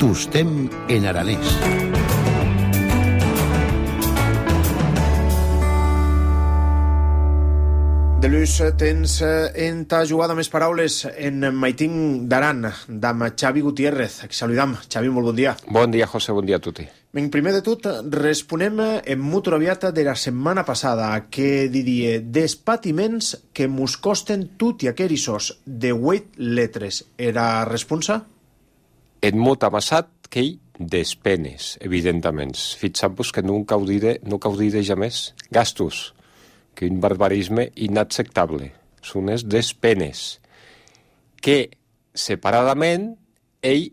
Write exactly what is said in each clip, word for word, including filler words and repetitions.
Tostem en aranès. De l'ús tens en ta jugada més paraules en Maitín d'Aran, d'am Xavi Gutiérrez. Saludam. Xavi, molt bon dia. Bon dia, José, bon dia a tutti. Ben, primer de tot, responem en mutu aviata de la setmana passada, que diria des patiments que mos costen tot i aquerissos de vuit letres. Era responsa? En mut amassat que hi des penes, evidentment. Fixam-vos que no caudire, no caudire jamés gastos, que un barbarisme inacceptable. Són les des penes, que separadament ell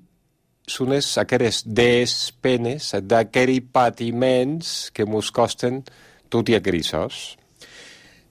són les aqueres des penes d'aqueris patiments que mos costen tot i aquerissos.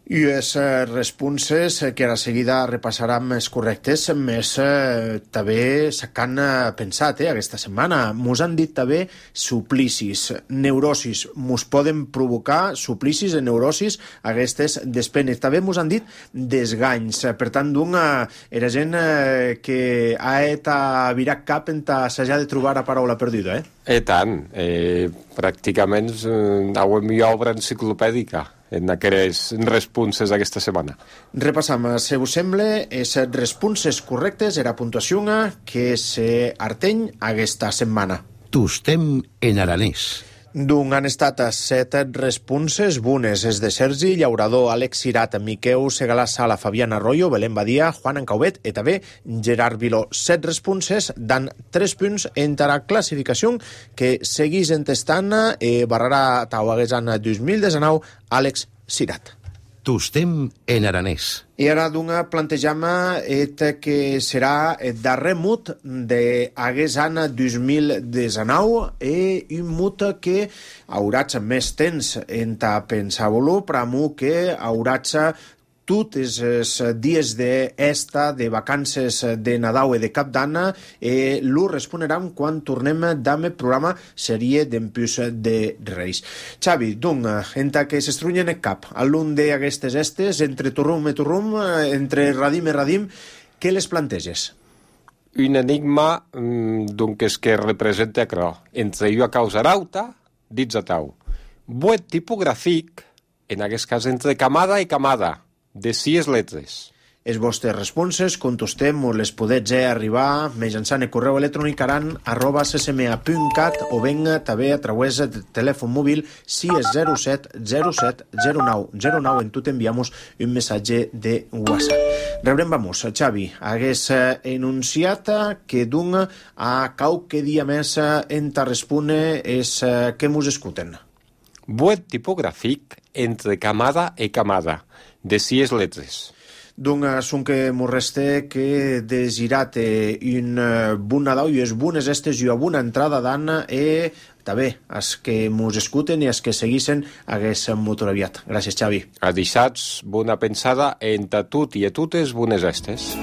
I les responses que a la seguida repassarem més correctes, més eh, també s'han pensat eh, aquesta setmana. Mos han dit també suplicis, neurosis. Mos poden provocar suplicis i neurosis aquestes despenes. També mos han dit desganys. Per tant, d'un, era gent eh, que ha et a virar cap en s'ha de trobar la paraula perduda, eh? I tant. Eh, pràcticament eh, hauem hi obra enciclopèdica en aquelles responses d'aquesta setmana. Repassam, si us sembla, les responses correctes era puntuació que se arteny aquesta setmana. Tostem en aranès. D'un han estat set responses bones, és de Sergi Llaurador, Àlex Cirat, Miqueu Segalà Sala, Fabián Arroyo, Belén Badia, Juan Encauvet i també Gerard Viló. Set responses dan tres punts en la classificació que seguís entestant eh, barrarà tauaguesan dos mil dinou Àlex Cirat. Tostem en aranès. I ara d'una plantejam et que serà el darrer mut d'aguest any dos mil dinou i un mut que hauràs més temps en ta pensar-lo, però que hauràs tots els dies d'esta, de vacances de Nadal i de Cap d'Any, eh, lo responeram quan tornem d'ame programa seria d'Empús de Reis. Xavi, doncs, entre que s'estrunyen el cap, a l'un d'aquestes estes, entre turrum i turrum, entre radim i radim, què les planteges? Un enigma doncs, que representa això. Entre jo a causa rauta, dits a tau. Buet tipogràfic, en aquest cas entre camada i camada, de sis letres. Les vostres responses, contestem, o les podets arribar mitjançant el correu electrònic aran arroba c s m a punt cat o ben també a través del telèfon mòbil sis zero set zero set zero nou zero nou en tu t'enviamos un missatge de WhatsApp. Rebrem, vamos, Xavi, hagués enunciat que d'un a qualque dia més en ta respone és que mos escuten. Buet tipogràfic entre camada i camada, de sis letres. Doncs són que m'ho resta que desirat un bon Nadal i és bones estes i una bona entrada d'any i també els que mos escuten i els que seguissin hagués molt aviat. Gràcies, Xavi. A dissats, bona pensada entre tot i a totes bones estes.